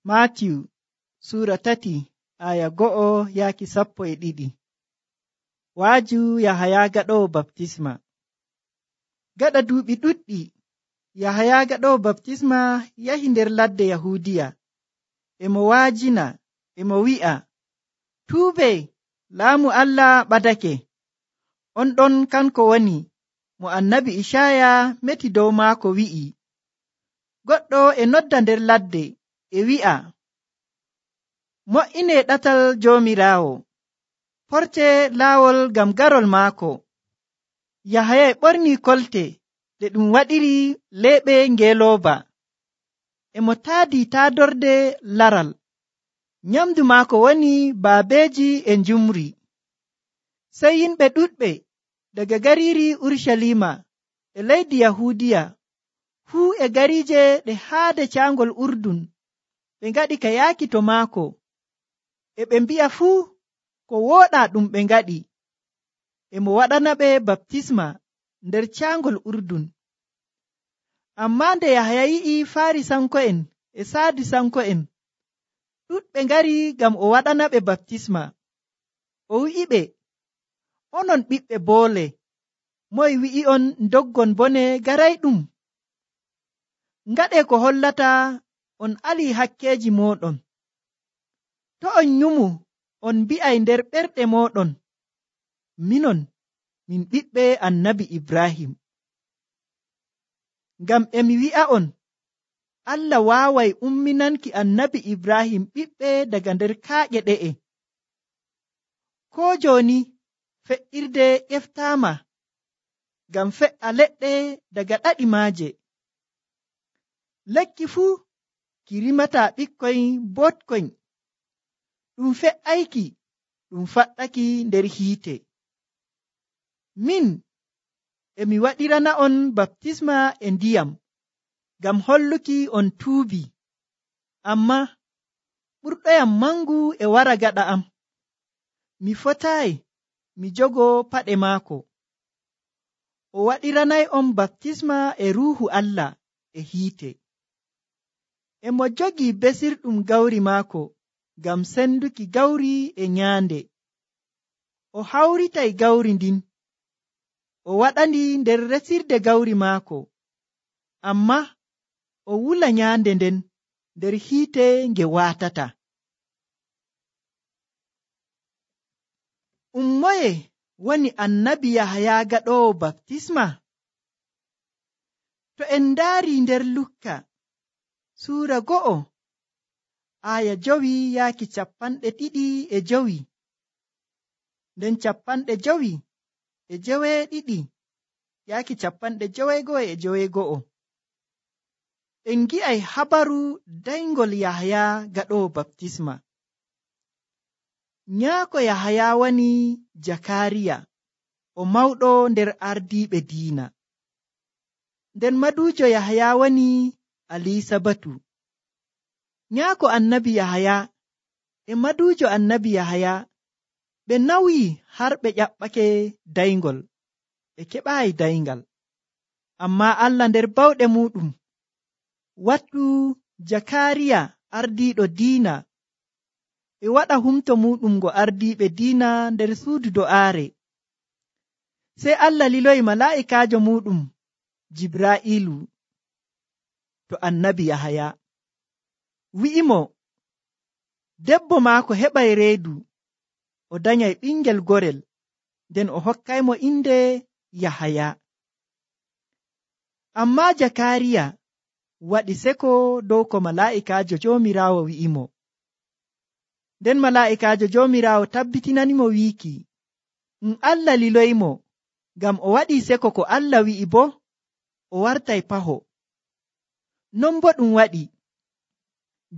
Maatiyu Suura 3 aya 1-12. Waaju Yahaya gaɗowo baptisma. Gaɗa duuɓi ɗuɗɗi, Yahaya gaɗowo baptisma yahi nder ladde Yahuudiya. Emo waajina, emo wi'a, tuubee, laamu Allah ɓadake. On ɗon kanko woni mo annabi Icaya meti dow maako wi'i. Goɗɗo e nodda nder ladde e wi'a, mo'inee ɗatal Joomiraawo, porte laawol ngam garol maako. Yahaya ɓornii kolte ɗe ɗum waɗiri leeɓe ngeelooba. Emo taadii taadorde laral. Nyamdu maako woni baabeeji e njumri. Sey yimɓe ɗuɗɓe daga gariiri Urucaliima e leydi Yahuudiya fuu e gariije ɗe haade caangol Urdun ɓe ngaɗi ka yaaki to maako. E ɓe mbi'a fuu ko wooɗaa ɗum ɓe ngaɗi. Emo waɗanaɓe baptisma nder caangol Urdun. Ammaa nde Yahaya yi'i Faarisanko'en e Sadusanko'en ɗuɗɓe ngari ngam o waɗanaɓe baptisma, o wi'iɓe, onon ɓiɓɓe boole, moye wi'i'on ndoggon bone garayɗum? Ngaɗee ko hollata on alii hakkeeji mooɗon. To on nyumu on mbi'ay nder ɓerɗe mooɗon, minon min ɓiɓɓe annabi Ibrahim. Ngam emi wi'a'on, Allah waaway umminanki annabi Ibrahim ɓiɓɓe daga nder kaaƴe ɗe'e. Koo jooni fe'irde ƴeftaama ngam fe'a leɗɗe daga ɗaɗi maaje. Lekki fuu ki rimataa ɓikkoy bootkoy, ɗum fe'ayki ɗum faɗɗaki nder hiite. Min emi waɗirana'on baptisma e ndiyam ngam holluki on tuubi, ammaa ɓurɗoyam mangu e wara gaɗa am. Mi fotaayi mi jogoo paɗe maako. O waɗiranay'on baptisma e Ruuhu Allah e hiite. Emo jogii besirɗum gawri maako ngam senduki gawri e nyaande. O hawritay gawri ndin, o waɗandi nder resirde gawri maako, ammaa o wula nyaande nden nder hiite nge waatata. Moye woni annabi Yahaya gaɗowo baptisma? To en ndaari nder Lukka Suura 1 aya 2-5, nden 5:2-5:91. En ngi'ay habaru dayngol Yahaya gaɗowo baptisma. Nyaako Yahaya woni Jakariya, o mawɗo nder ardiiɓe diina. Nden maduujo Yahaya woni Alisabatu. Nyaako annabi Yahaya e maduujo annabi Yahaya ɓe nawyi har ɓe ƴaɓɓake dayngol, ɓe keɓaayi dayngal. Ammaa Allah nder bawɗe muɗum wattu Jakariya ardiiɗo diina e waɗa humto muɗum ngo ardiiɓe diina nder suudu do'aare. Sey Allah liloyi malaa'ikaajo muɗum Jibra'ilu to annabi Yahaya, wi'imo debbo maako heɓay reedu, o danyay ɓingel gorel, nden o hokkaymo inde Yahaya. Ammaa Jakariya waɗi seko dow ko malaa'ikaajo Joomiraawo wi'imo. Nden malaa'ikaajo Joomiraawo tabbitinanimo wiiki, Allah liloymo ngam o waɗii seko ko Allah wi'i boo o wartay paho. Non boo ɗum waɗi.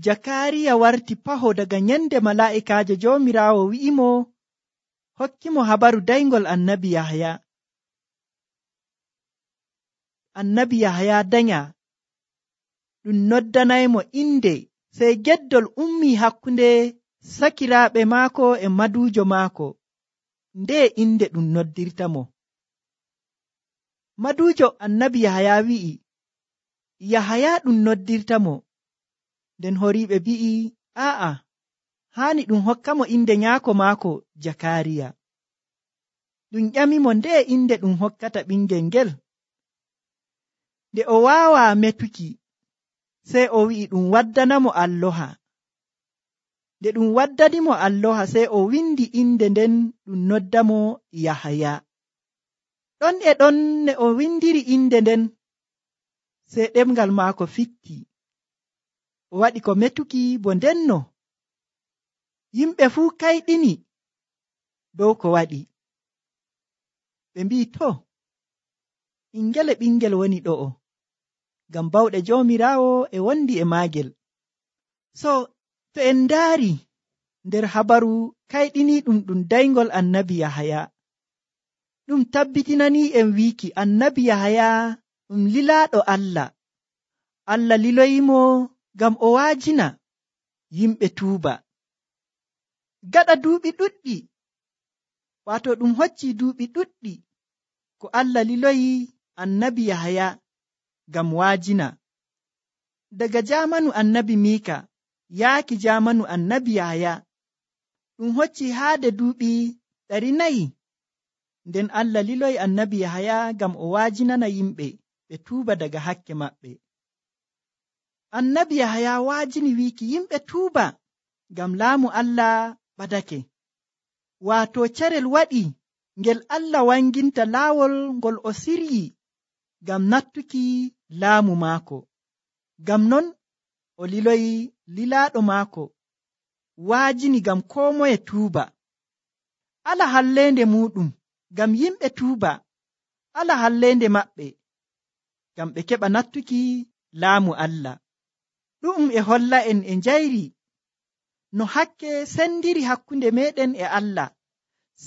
Jakariya warti paho daga nyande malaa'ikaajo Joomiraawo wi'imo hokkimo habaru dayngol annabi Yahaya. Annabi Yahaya danya, ɗum noddanaymo inde, sey geddol ummii hakkunde sakiraaɓe maako e maduujo maako. Nde inde ɗum noddirtamo. Maduujo annabi Yahaya wi'i, Yahaya ɗum noddirtamo. nden horiiɓe mbi'i aa'a haani ɗum hokkamo inde nyaako maako Jakariya. Ɗum ƴamimo nde inde ɗum hokkata ɓingel ngel. Nde o waawaa metuki sey o wi'i ɗum waddanamo alloha. Nde ɗum waddanimo alloha sey o windi inde nden ɗum noddamo Yahaya. Ɗon e ɗon ne o windiri inde nden sey ɗemgal maako fitti. O waɗi ko metuki bo ndenno yimɓe fuu kayɗini dow ko waɗi. Ɓe mbi'i to ingele ɓingel woni ɗo'o ngam bawɗe Joomiraawo e wondi e maagel. So to en ndaari nder habaru kayɗiniiɗum ɗum dayngol annabi Yahaya, ɗum tabbitinanii en wiiki annabi Yahaya ɗum lilaaɗo Allah. Allah liloyimo ngam o waajina yimɓe tuuba. Gaɗa duuɓi ɗuɗɗi, waato ɗum hoccii duuɓi ɗuɗɗi ko Allah liloyi annabi Yahaya ngam waajina. Daga jaamanu annabi Miika yaaki jaamanu annabi Yahaya ɗum hoccii haade duuɓi 400. Nden Allah liloyi annabi Yahaya ngam o waajinana yimɓe ɓe tuuba daga hakke maɓɓe. Annabi Yahaya waajini wiiki yimɓe tuuba ngam laamu Allah ɓadake. Waato carel waɗi ngel Allah wanginta laawol ngol o siryi ngam nattuki laamu maako. Ngam non o liloyi lilaaɗo maako waajini ngam koo moye tuuba. Ala halleende muɗum ngam yimɓe tuuba, ala halleende maɓɓe ngam ɓe keɓa nattuki laamu Allah. Ɗum e holla en e njayri no hakke sendiri hakkunde meɗen e Allah,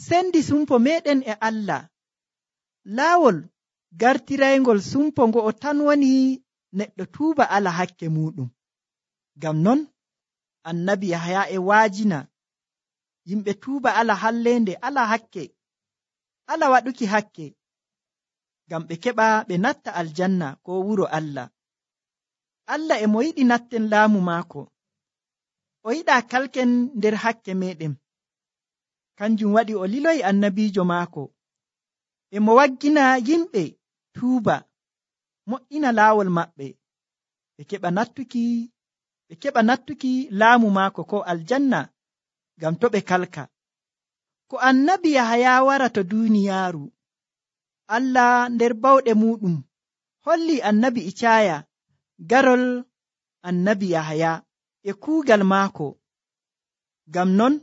sendi sumpo meɗen e Allah. Laawol gartiraygol sumpo ngo'o tan woni neɗɗo tuuba ala hakke muɗum. Ngam non annabi Yahaya e waajina yimɓe tuuba ala halleende, ala hakke, ala waɗuki hakke, ngam ɓe keɓa ɓe natta aljanna ko wuro Allah. Allah e mo yiɗi natten laamu maako, o yiɗaa kalken nder hakke meɗen. Kanjum waɗi o liloyi annabiijo maako e mo waggina yimɓe tuuba, mo'ina laawol maɓɓe, ɓe keɓa nattuki laamu maako ko aljanna ngam to ɓe kalka. Ko annabi Yahaya wara to duuniyaaru, Allah nder bawɗe muɗum holli annabi Icaya garol annabi Yahaya e kuugal maako. Ngam non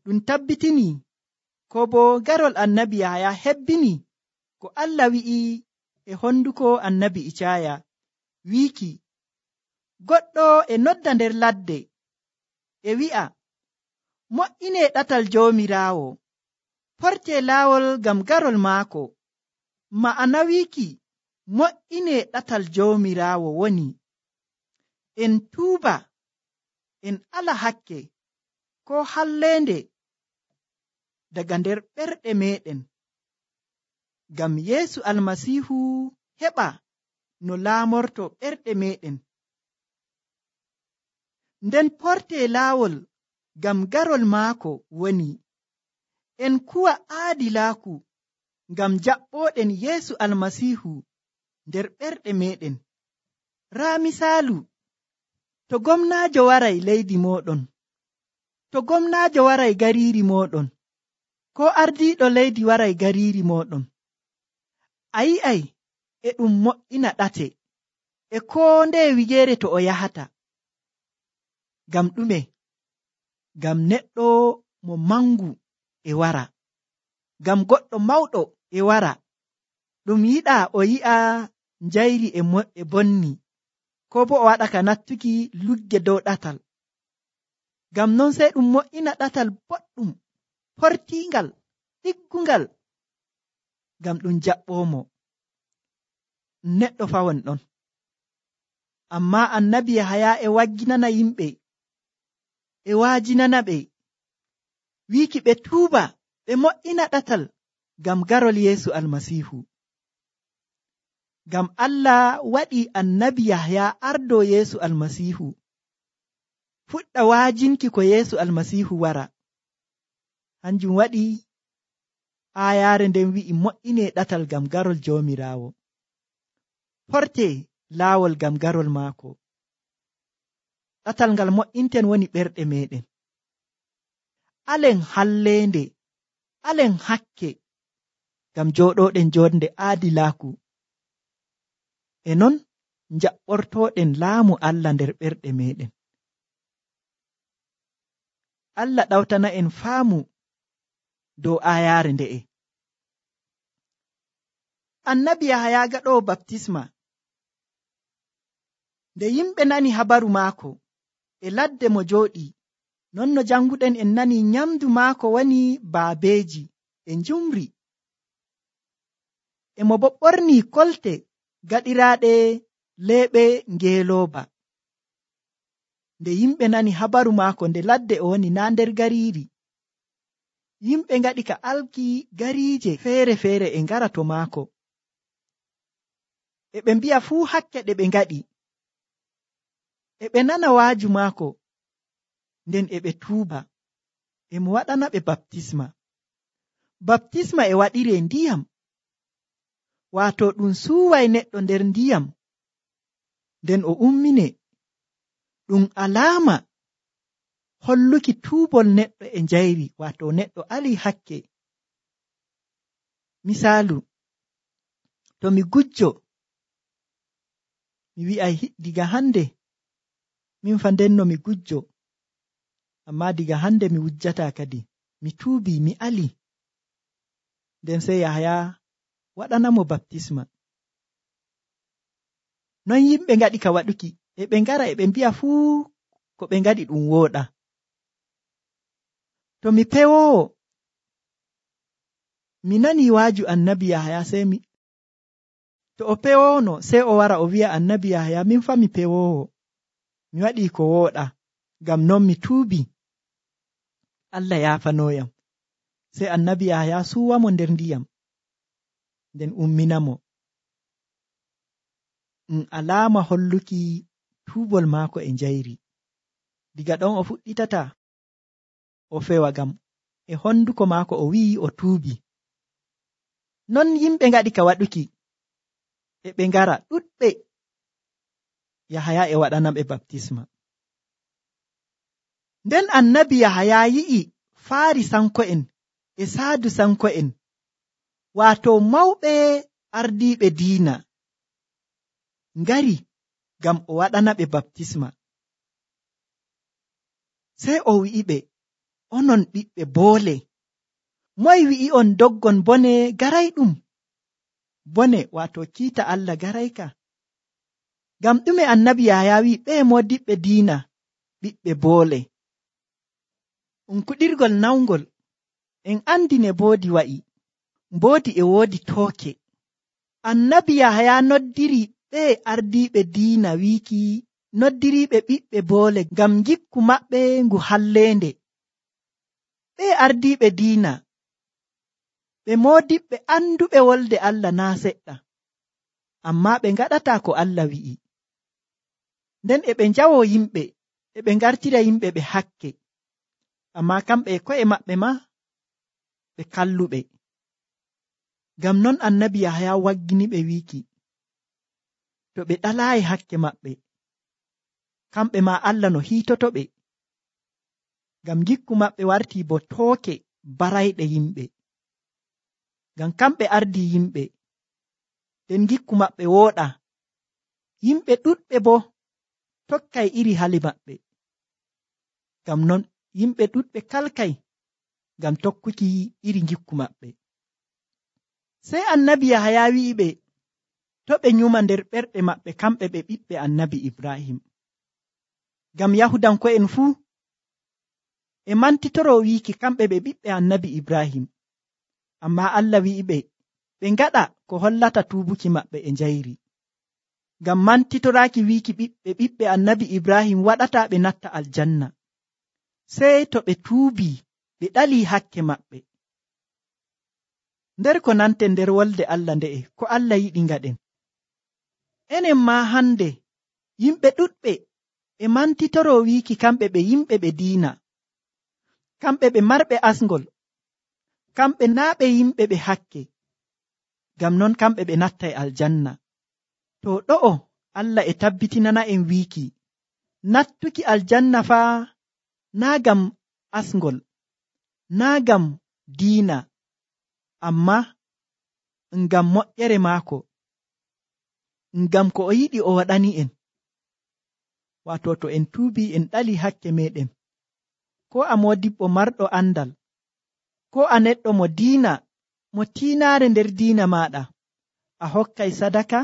ɗum tabbitini ko bo garol annabi Yahaya hebbini ko Allah wi'i e honduko annabi Icaya wiiki, goɗɗo e nodda nder ladde e wi'a, mo'inee ɗatal Joomiraawo, portee laawol ngam garol maako. Ma'ana wiiki mo'inee ɗatal Joomiraawo woni en tuuba, en ala hakke ko halleende daga nder ɓerɗe meɗen, ngam Yeesu Almasiihu heɓa no laamorto ɓerɗe meɗen. Nden portee laawol ngam garol maako woni en kuwa aadilaaku ngam jaɓɓooɗen Yeesu Almasiihu nder ɓerɗe meɗen. Raa misaalu, to gomnaajo waray leydi mooɗon, to gomnaajo waray gariiri mooɗon, ko ardiiɗo leydi waray gariiri mooɗon, a yi'ay e ɗum mo'ina ɗate e koo ndeye wigeere to o yahata. Ngam ɗume? Ngam neɗɗo mo mangu e wara, ngam goɗɗo mawɗo e wara. Ɗum yiɗaa o yi'a njayri e bonni, ko bo o waɗa ka nattuki lugge dow ɗatal. Ngam non sey ɗum mo'ina ɗatal boɗɗum, portiingal, ɗiggungal, ngam ɗum jaɓɓoomo. Neɗɗo fawon ɗon. Ammaa annabi Yahaya e wagginana yimɓe, e waajinana ɓe, wiiki ɓe tuuba, ɓe mo'ina ɗatal ngam garol Yeesu Almasiihu. Ngam Allah waɗi annabi Yahaya ardo Yeesu Almasiihu fuɗɗa waajinki ko Yeesu Almasiihu wara. Hanjum waɗi aayaare nden wi'i mo'inee ɗatal ngam garol Joomiraawo. Portee laawol ngam garol maako. Ɗatal ngal mo'inten woni ɓerɗe meɗen. Alen halleende, alen hakke ngam jooɗooɗen jonde aadilaaku. E non njaɓɓortooɗen laamu Allah nder ɓerɗe meɗen. Allah ɗawtana en faamu dow aayaare nde'e. Annabi Yahaya gaɗoowo baptisma, nde yimɓe nani habaru maako e ladde mo jooɗi, non no janguɗen en nani nyamdu maako woni baabeeji e njumri. E mo bo ɓorni kolte gaɗiraaɗe leeɓe ngeelooba. Nde yimɓe nani habaru maako nde ladde o woni naa nder gariiri, yimɓe ngaɗi ka alki gariije feere-feere e ngara to maako. E ɓe mbi'a fuu hakke ɗe ɓe ngaɗi. E ɓe nana waaju maako, nden e ɓe tuuba, e mo waɗana ɓe baptisma. Baptisma e waɗiree ndiyam, waato ɗum suuway neɗɗo nder ndiyam, nden o ummine. Ɗum alaama holluki tuubol neɗɗo e njayri, waato neɗɗo alii hakke. Misaalu, to mi gujjo, mi wi'ay diga hande min fa ndenno mi gujjo, amma diga hande mi wujjataa kadi, mi tuubii, mi alii. Nden sey Yahaya waɗanamo baptisma. Non yimɓe ngaɗi ka waɗuki, e ɓe ngara e ɓe mbi'a fuu ko ɓe ngaɗi ɗum wooɗa. To mi pewoowo, mi nani waaju annabi Yahaya, to o pewoono sey o wara o wi'a annabi Yahaya, min fa mi pewoowo, mi waɗii ko wooɗa, ngam non mi tuubii, Allah yaafanooyam. Sey annabi Yahaya suuwamo nder ndiyam, nden umminamo. Alaama holluki tuubol maako e njayri. Diga ɗon o fuɗɗitata o fewa, ngam e honduko maako o wi'i o tuubi. Non yimɓe ngaɗi ka waɗuki, e ɓe ngara ɗuɗɓe. Yahaya e waɗana ɓe baptisma. Nden annabi Yahaya yi'i Faarisanko'en e Saadusanko'en, waato mawɓe ardiiɓe diina, ngari ngam o waɗana ɓe baptisma. Sey o wi'iɓe, onon ɓiɓɓe boole, moye wi'i on doggon bone garayɗum? Bone waato kiita Allah garayka. Ngam ɗume annabi Yahaya wi'i ɓe moodiɓɓe diina ɓiɓɓe boole? Kuɗirgol nawngol en andi ne mboodi wa'i. Mboodi e woodi tooke. Annabi Yahaya noddiri ɓe ardiiɓe diina wiiki noddiriiɓe ɓiɓɓe boole ngam gikku maɓɓe ngu halleende. Ɓe ardiiɓe diina ɓe moodiɓɓe anduɓe wolde Allah naa seɗɗa, ammaa ɓe ngaɗataa ko Allah wi'i. Nden e ɓe njawoo yimɓe, e ɓe ngartira yimɓe ɓe hakke, ammaa kamɓe e ko'e maɓɓe maa ɓe kalluɓe. Ngam non annabi Yahaya wagginiɓe wiiki, to ɓe ɗalaayi hakke maɓɓe, kamɓe maa Allah no hiitotoɓe, ngam gikku maɓɓe wartii bo tooke barayɗe yimɓe. Ngam kamɓe ardii yimɓe, nden gikku maɓɓe wooɗa, yimɓe ɗuɗɓe bo tokkay iri hali maɓɓe. Ngam non yimɓe ɗuɗɓe kalkay ngam tokkuki iri gikku maɓɓe. Sey annabi Yahaya wi'iɓe to ɓe nyuma nder ɓerɗe maɓɓe kamɓe ɓe ɓiɓɓe annabi Ibrahim. Ngam Yahudanko'en fuu e mantitoro wiiki kamɓe ɓe ɓiɓɓe annabi Ibrahim, ammaa Allah wi'iɓe ɓe ngaɗa ko hollata tuubuki maɓɓe e njayri. Ngam mantitoraaki wiiki ɓiɓɓe annabi Ibrahim waɗataa ɓe natta aljanna, sey to ɓe tuubii ɓe ɗalii hakke maɓɓe. Nder ko nanten nder wolde Allah nde'e, ko Allah yiɗi ngaɗen. Enen maa hande yimɓe ɗuɗɓe e mantitoro wiiki kamɓe ɓe yimɓe ɓe diina, kamɓe ɓe marɓe asngol, kamɓe naa ɓe yimɓe ɓe hakke, ngam non kamɓe ɓe nattay aljanna. To ɗo'o Allah e tabbitinana en wiiki nattuki aljanna faa naa ngam asngol, naa ngam diina, amma ngam moƴƴere maako, ngam ko o yiɗi o waɗani en. Waato to en tuubi en ɗali hakke meɗen, ko a modibbo marɗo andal, ko a neɗɗo mo diina, mo tiinaare nder diina maɗa, a hokkay sadaka,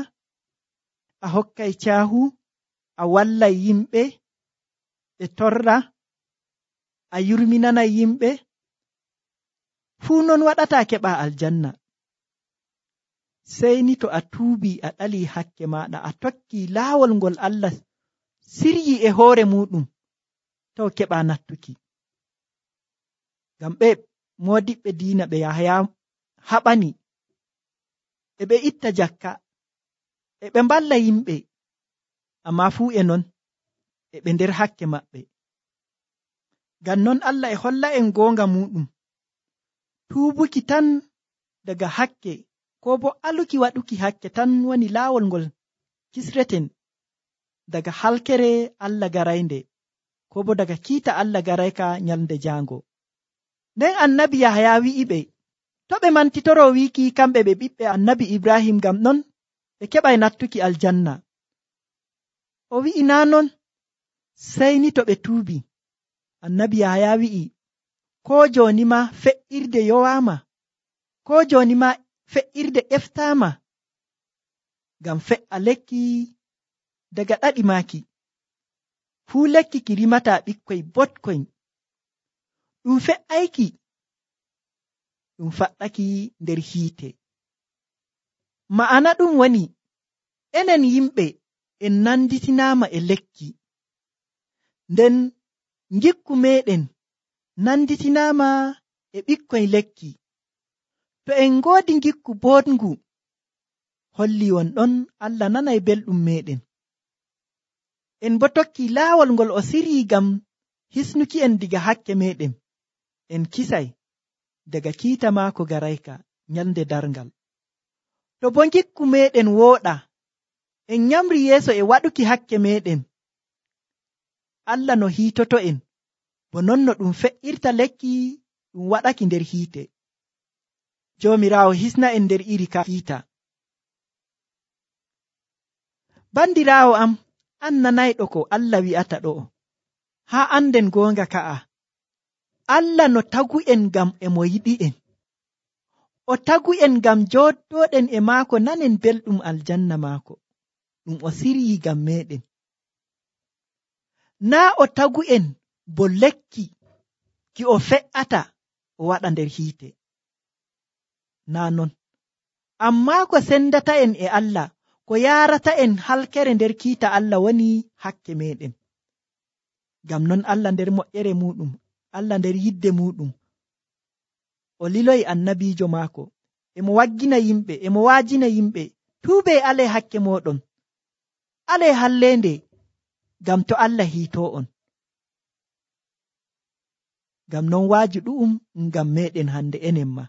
a hokkay caahu, a wallay yimɓe ɓe torra, a yurminanay yimɓe, fuu non waɗata keɓa aljanna. Sey ni to a tuubi a ɗali hakke maɗa, a tokki laawol ngol Allah siryi e hoore muɗum, taw keɓa nattuki. Ngam ɓe moodiɓɓe diina ɓe Yahaya haɓani, e ɓe itta jakka, e ɓe mballa yimɓe, amma fuu e non e ɓe nder hakke maɓɓe. Ngam non Allah e holla en goonga muɗum, tuubuki tan daga hakke, ko bo aluki waɗuki hakke tan woni laawol ngol kisreten daga halkere Allah garaynde, ko bo daga kiita Allah garayka nyalnde jaango. Nden annabi Yahaya wi'iɓe to ɓe mantitoro wiiki kamɓe ɓe ɓiɓɓe annabi Ibrahim, ngam non ɓe keɓay nattuki aljanna. O wi'i naa non, sey ni to ɓe tuubi. Annabi Yahaya wi'i ko jooni ma fe'irde yowaama, ko jooni ma fe'irde eftaama, ngam fe'a lekki daga ɗaɗi maaki. Fuu lekki ki rimata ɓikkoy botkoy, ɗum fe'ayki, ɗum faɗɗaki nder hiite. Ma'ana ɗum woni enen yimɓe en nanditinaama e lekki, nden ngikku meɗen nanditinaama e ɓikkoy lekki. To en ngoodi ngikku boɗngu, holli wonɗon Allah nanay belɗum meɗen. En bo tokki laawol ngol o siryi ngam hisnuki en diga hakke meɗen, en kisay daga kiita maako garayka nyalnde darngal. To bo ngikku meɗen wooɗa, en nyamri yeeso e waɗuki hakke meɗen, Allah no hiitoto en, bo non no ɗum fe'irta lekki ɗum waɗaki nder hiite. Joomiraawo hisna en nder iri ka kiita. Bandiraawo am, an nanayɗo ko Allah wi'ata ɗo'o, haa anden goonga ka'a. Allah no tagu en ngam e mo yiɗi en. O tagu en ngam jooɗoɗen e maako nanen belɗum aljanna maako, ɗum o siryi ngam meɗen. Naa o tagu en bo lekki ki o fe'ata o waɗa nder hiite. Naa non, amma ko sendata en e Allah, ko yaarata en halkere nder kiita Allah woni hakke meɗen. Ngam non Allah nder moƴƴere muɗum, Allah nder yidde muɗum, o liloyi annabiijo maako, emo waggina yimɓe, emo waajina yimɓe, tuube ale hakke moɗon, ale hallende, ngam to Allah hiito on. Ngam non waaju ɗu'um ngam meɗen hande enen ma.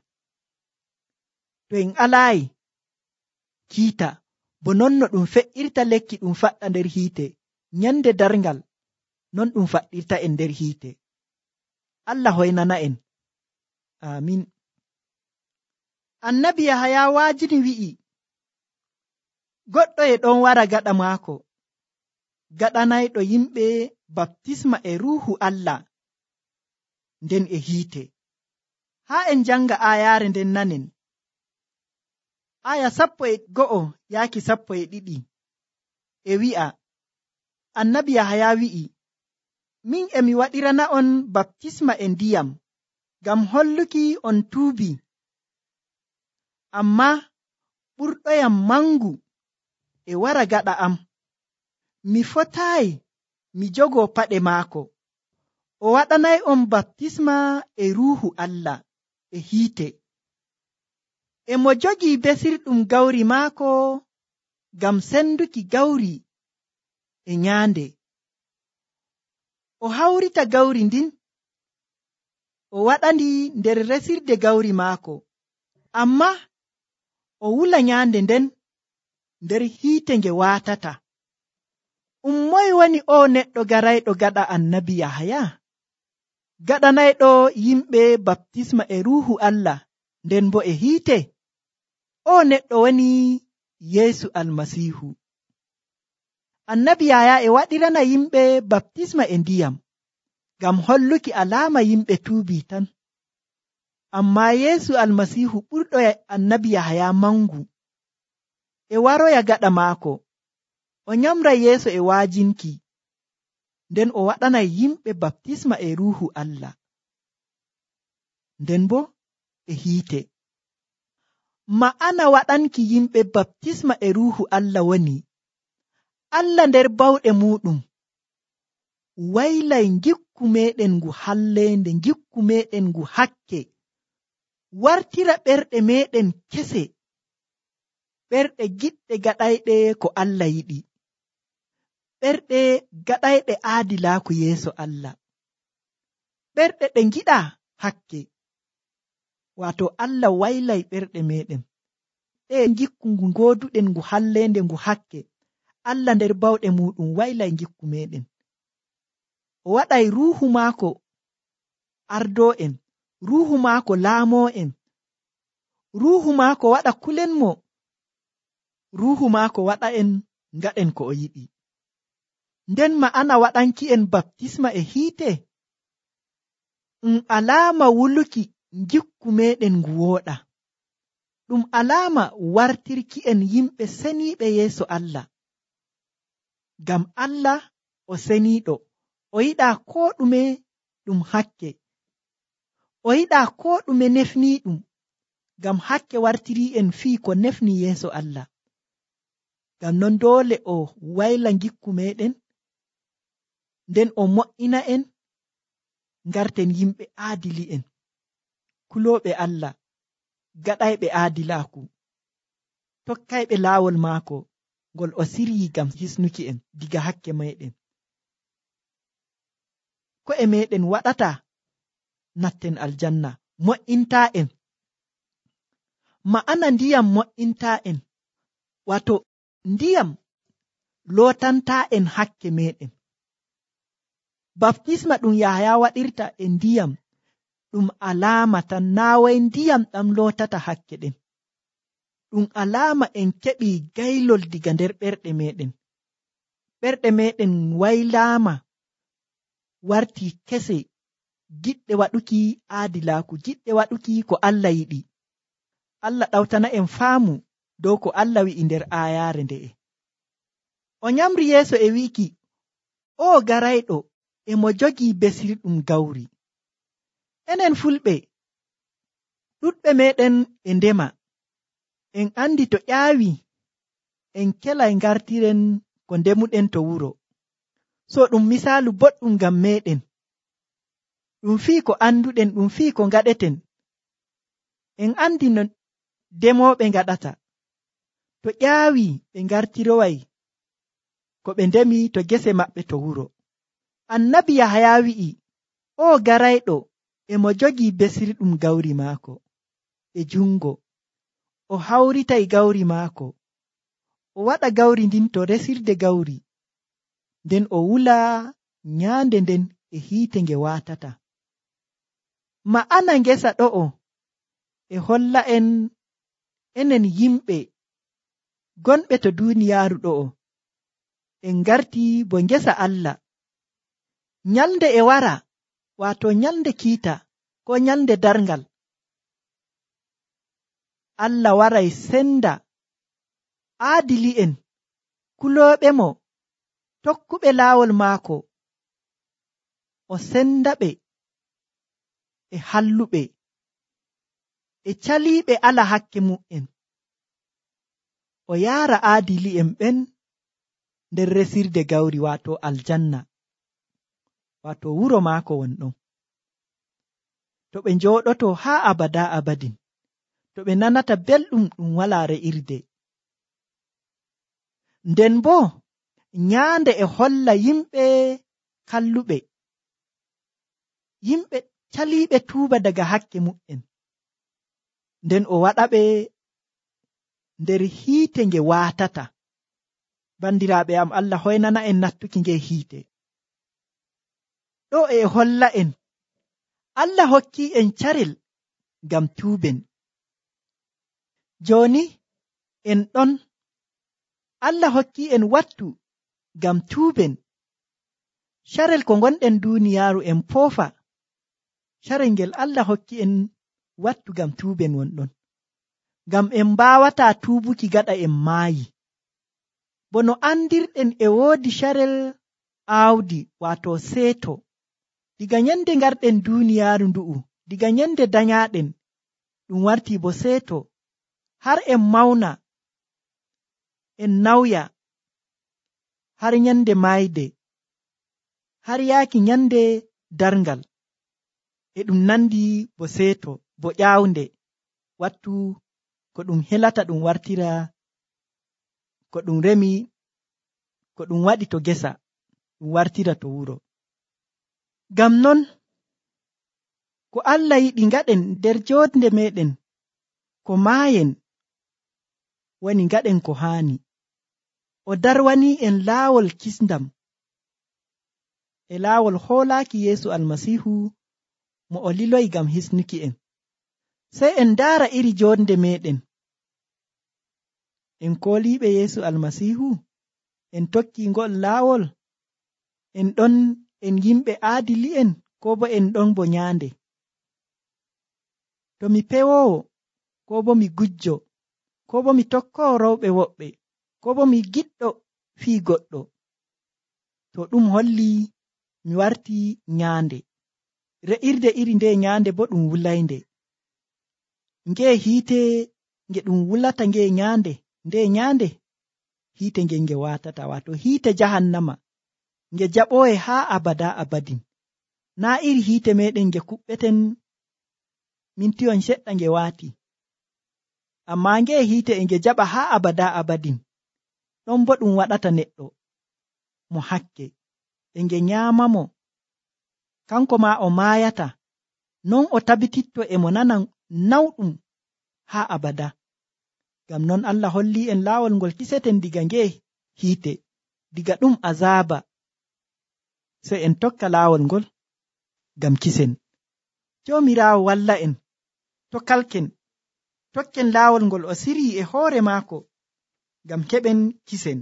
To en alaayi kiita, bo non no ɗum fe'irta lekki ɗum faɗɗa nder hiite, nyande darngal, non ɗum faɗɗirta en nder hiite. Allah hoynana en. Amin. Annabi Yahaya waajini wi'i, goɗɗo e ɗon wara gaɗa maako, gaɗanayɗo yimɓe baptisma e ruuhu Allah, nden e hiite. Haa en janga aayaare nden nanen. Aya 11 yaaki 12 e wi'a, annabi Yahaya wi'i, min emi waɗirana on baptisma e ndiyam, ngam holluki on tuubi, amma ɓurɗoyam mangu e wara gaɗa am. Mi fotaayi mi jogo paɗe maako. O waɗanay on baptisma e ruuhu Allah e hiite. E mo jogii besirɗum gawri maako ngam senduki gawri e nyaande. o hawrita gawri ndin o waɗandi nder resirde gawri maako, amma o wula nyaande nden nder hiite nge waatata. Moye woni o neɗɗo garayɗo gaɗa annabi Yahaya? Gaɗanayɗo yimɓe baptisma e ruuhu Allah nden bo e hiite? O neɗɗo woni Yeesu Almasiihu. Annabi Yahaya e waɗirana yimɓe baptisma e ndiyam ngam holluki alaama yimɓe tuubii tan. Amma Yeesu Almasiihu ɓurɗo annabi Yahaya mangu e waroya gaɗa maako. O nyamra yeeso e waajinki, nden o waɗanay yimɓe baptisma e ruuhu Allah, nden bo e hiite. Ma'ana waɗanki yimɓe baptisma e ruuhu Allah woni Allah nder bawɗe muɗum waylay gikku meɗen ngu halleende, gikku meɗen ngu hakke, wartira ɓerɗe meɗen kese, ɓerɗe giɗɗe gaɗayɗe ko Allah yiɗi, ɓerɗe gaɗayɗe aadilaaku yeeso Allah, ɓerɗe ɗe ngiɗa hakke. Waato Allah waylay ɓerɗe meɗen ɗe gikku ngu gooduɗen ngu halleende ngu hakke. Allah nder bawɗe muɗum waylay gikku meɗen. O waɗay ruuhu maako ardoo en, ruuhu maako laamoo en, ruuhu maako waɗa kulenmo, ruuhu maako waɗa en ngaɗen ko o yiɗi. Nden ma'ana waɗanki en baptisma e hiite alaama wuluki gikku meɗen ngu wooɗa, ɗum alaama wartirki en yimɓe seniiɓe yeeso Allah. Ngam Allah o seniiɗo, o yiɗaa koo ɗume ɗum hakke, o yiɗaa koo ɗume nefniiɗum, ngam hakke wartirii en fii ko nefni yeeso Allah. Ngam non doole o wayla gikku meɗen, nden o mo'ina en ngarten yimɓe aadili'en, kulooɓe Allah, gaɗayɓe aadilaaku, tokkayɓe laawol maako ngol o siryii ngam hisnuki en diga hakke meɗen. Ko'e meɗen waɗata natten aljanna, mo'intaa en. Ma'ana ndiyam mo'intaa en, wato ndiyam lootantaa en hakke meɗen. Baptisma ɗum Yahaya waɗirta e ndiyam ɗum alaama tan, naaway ndiyam ɗam lootata hakke ɗen. Ɗum alaama en keɓii gaylol diga nder ɓerɗe meɗen. Ɓerɗe meɗen waylaama wartii kese, giɗɗe waɗuki aadilaaku, giɗɗe waɗuki ko Allah yiɗi. Allah ɗawtana en faamu dow ko Allah wi'i nder aayaare nde'e. O nyamri yeeso e wi'iki, o garayɗo e mo jogii besirɗum gawri. Enen fulɓe, ɗuɗɓe meɗen e ndema, en andi to ƴaawi en kelay ngartiren ko ndemuɗen to wuro. So ɗum misaalu boɗɗum ngam meɗen, ɗum fii ko anduɗen, ɗum fii ko ngaɗeten. En andi no demooɓe ngaɗata, to ƴaawi ɓe ngartiroway ko ɓe ndemi to gese maɓɓe to wuro. Annabi Yahaya wi'i, o garayɗo e mo jogii besirɗum gawri maako e jungo, o hawritay gawri maako, o waɗa gawri ndin to resirde gawri, nden o wula nyaande nden e hiite nge waatata. Ma'ana ngesa ɗo'o e holla en enen yimɓe gonɓe to duuniyaaru ɗo'o en ngarti bo ngesa Allah. Nyalnde e wara, waato nyalnde kiita ko nyalnde darngal, Allah waray senda aadili'en, kulooɓe mo, tokkuɓe laawol maako, o senda ɓe e halluɓe e caliiɓe ala hakke mu'en, o yaara aadili'en ɓen nder resirde gawri, waato aljanna, waato wuro maako wonɗon. To ɓe njooɗoto haa abada abadin, to ɓe nanata belɗum ɗum walaa re'irde. Nden bo nyaande e holla yimɓe kalluɓe yimɓe caliiɓe tuuba daga hakke mu'en, nden o waɗaɓe nder hiite nge waatata. Bandiraaɓe am, Allah hoynana en nattuki nge hiite. Ɗo e holla en Allah hokki en carel ngam tuuben. Jooni en ɗon, Allah hokki en wattu ngam tuuben. Carel ko gonɗen duuniyaaru en foofa, carel ngel Allah hokki en wattu ngam tuuben wonɗon, ngam en mbaawataa tuubuki gaɗa en maayi. Bo no andirɗen e woodi carel aawdi, waato seeto. Diga nyande ngarɗen duuniyaaru ndu'u, diga nyande danyaaɗen, ɗum wartii bo seeto, har en mawna, en nawya, har nyande maayde, har yaaki nyande darngal. E ɗum nandi bo seeto, bo ƴaawnde, wattu ko ɗum helata ɗum wartira ko ɗum remi, ko ɗum waɗi to gesa, ɗum wartira to wuro. Ngam non, ko Allah yiɗi ngaɗen nder joonde meɗen, ko maayen, woni ngaɗen ko haani. O darwanii en laawol kisndam, e laawol hoolaaki Yeesu Almasiihu mo o liloyi ngam hisnuki en. Sey en ndaara iri joonde meɗen. En kooliiɓe Yeesu Almasiihu, en tokkii ngol laawol, en ɗon en yimɓe aadili'en, koo bo en ɗon bo nyaande. To mi pewoowo, koo bo mi gujjo, koo bo mi tokkoowo rewɓe woɓɓe, koo bo mi giɗɗo fii goɗɗo, to ɗum hollii mi wartii nyaande. Re'irde iri nde nyaande bo ɗum wulaynde. Ngee hiite nge ɗum wulata nge nyaande, nde nyaande hiite nge nge waatata, waato hiite jahannama, nge jaɓooye haa abada abadin. Naa iri hiite meɗen nge kuɓɓeten mintiyon seɗɗa nge waati, ammaa nge hiite e nge jaɓa haa abada abadin. Ɗon bo ɗum waɗata neɗɗo mo hakke, e nge nyaamamo, kanko maa o maayata, non o tabititto e mo nana nawɗum haa abada. Ngam non Allah hollii en laawol ngol kiseten diga nge hiite, diga ɗum azaaba, sey en tokka laawol ngol ngam kisen. Joomiraawo walla en, tokalken, tokken laawol ngol o sirii e hoore maako ngam keɓen kisen.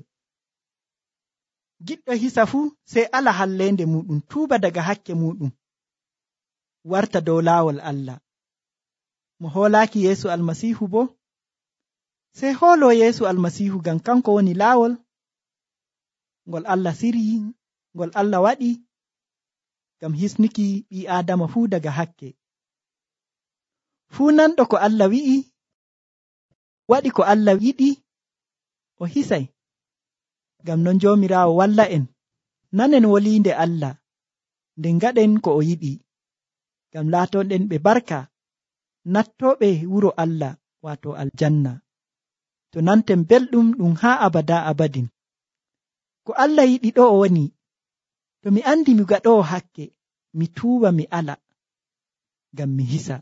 Giɗɗo hisa fuu sey ala halleende muɗum, tuuba daga hakke muɗum, warta dow laawol Allah. Mo hoolaaki Yeesu Almasiihu bo, sey hooloo Yeesu Almasiihu, ngam kanko woni laawol ngol Allah sirii, ngol Allah waɗi ngam hisnuki ɓii Aadama fuu daga hakke. Fuu nanɗo ko Allah wi'i, waɗi ko Allah yiɗi, o hisay. Ngam non Joomiraawo walla en, nanen woliinde Allah, nden ngaɗen ko o yiɗi, ngam laatonɗen ɓe barka, nattooɓe wuro Allah, waato aljanna, to nanten belɗum ɗum haa abada abadin. Ko Allah yiɗi ɗo o woni, to mi andi mi gaɗoowo hakke, mi tuuba mi ala, ngam mi hisa.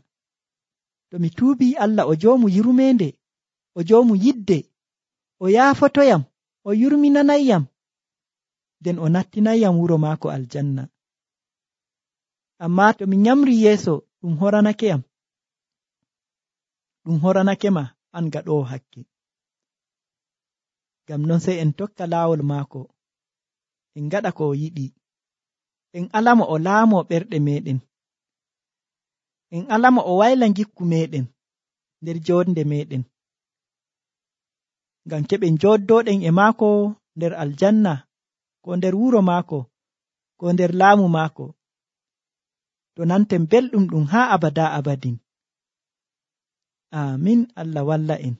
To mi tuubii, Allah o joomu yurmeende, o joomu yidde, o yaafotoyam, o yurminanayyam, nden o nattinayyam wuro maako aljanna. Ammaa to mi nyamri yeeso, ɗum horanakeyam, ɗum horanake ma an gaɗoowo hakke. Ngam non sey en tokka laawol maako, en ngaɗa ko o yiɗi, en alamo o laamo ɓerɗe meɗen, en alamo o wayla ngikku meɗen nder joonde meɗen, ngam keɓen jooddooɗen e maako nder aljanna, ko nder wuro maako, ko nder laamu maako, to nanten belɗum ɗum haa abada abadin. Amin. Allah walla en.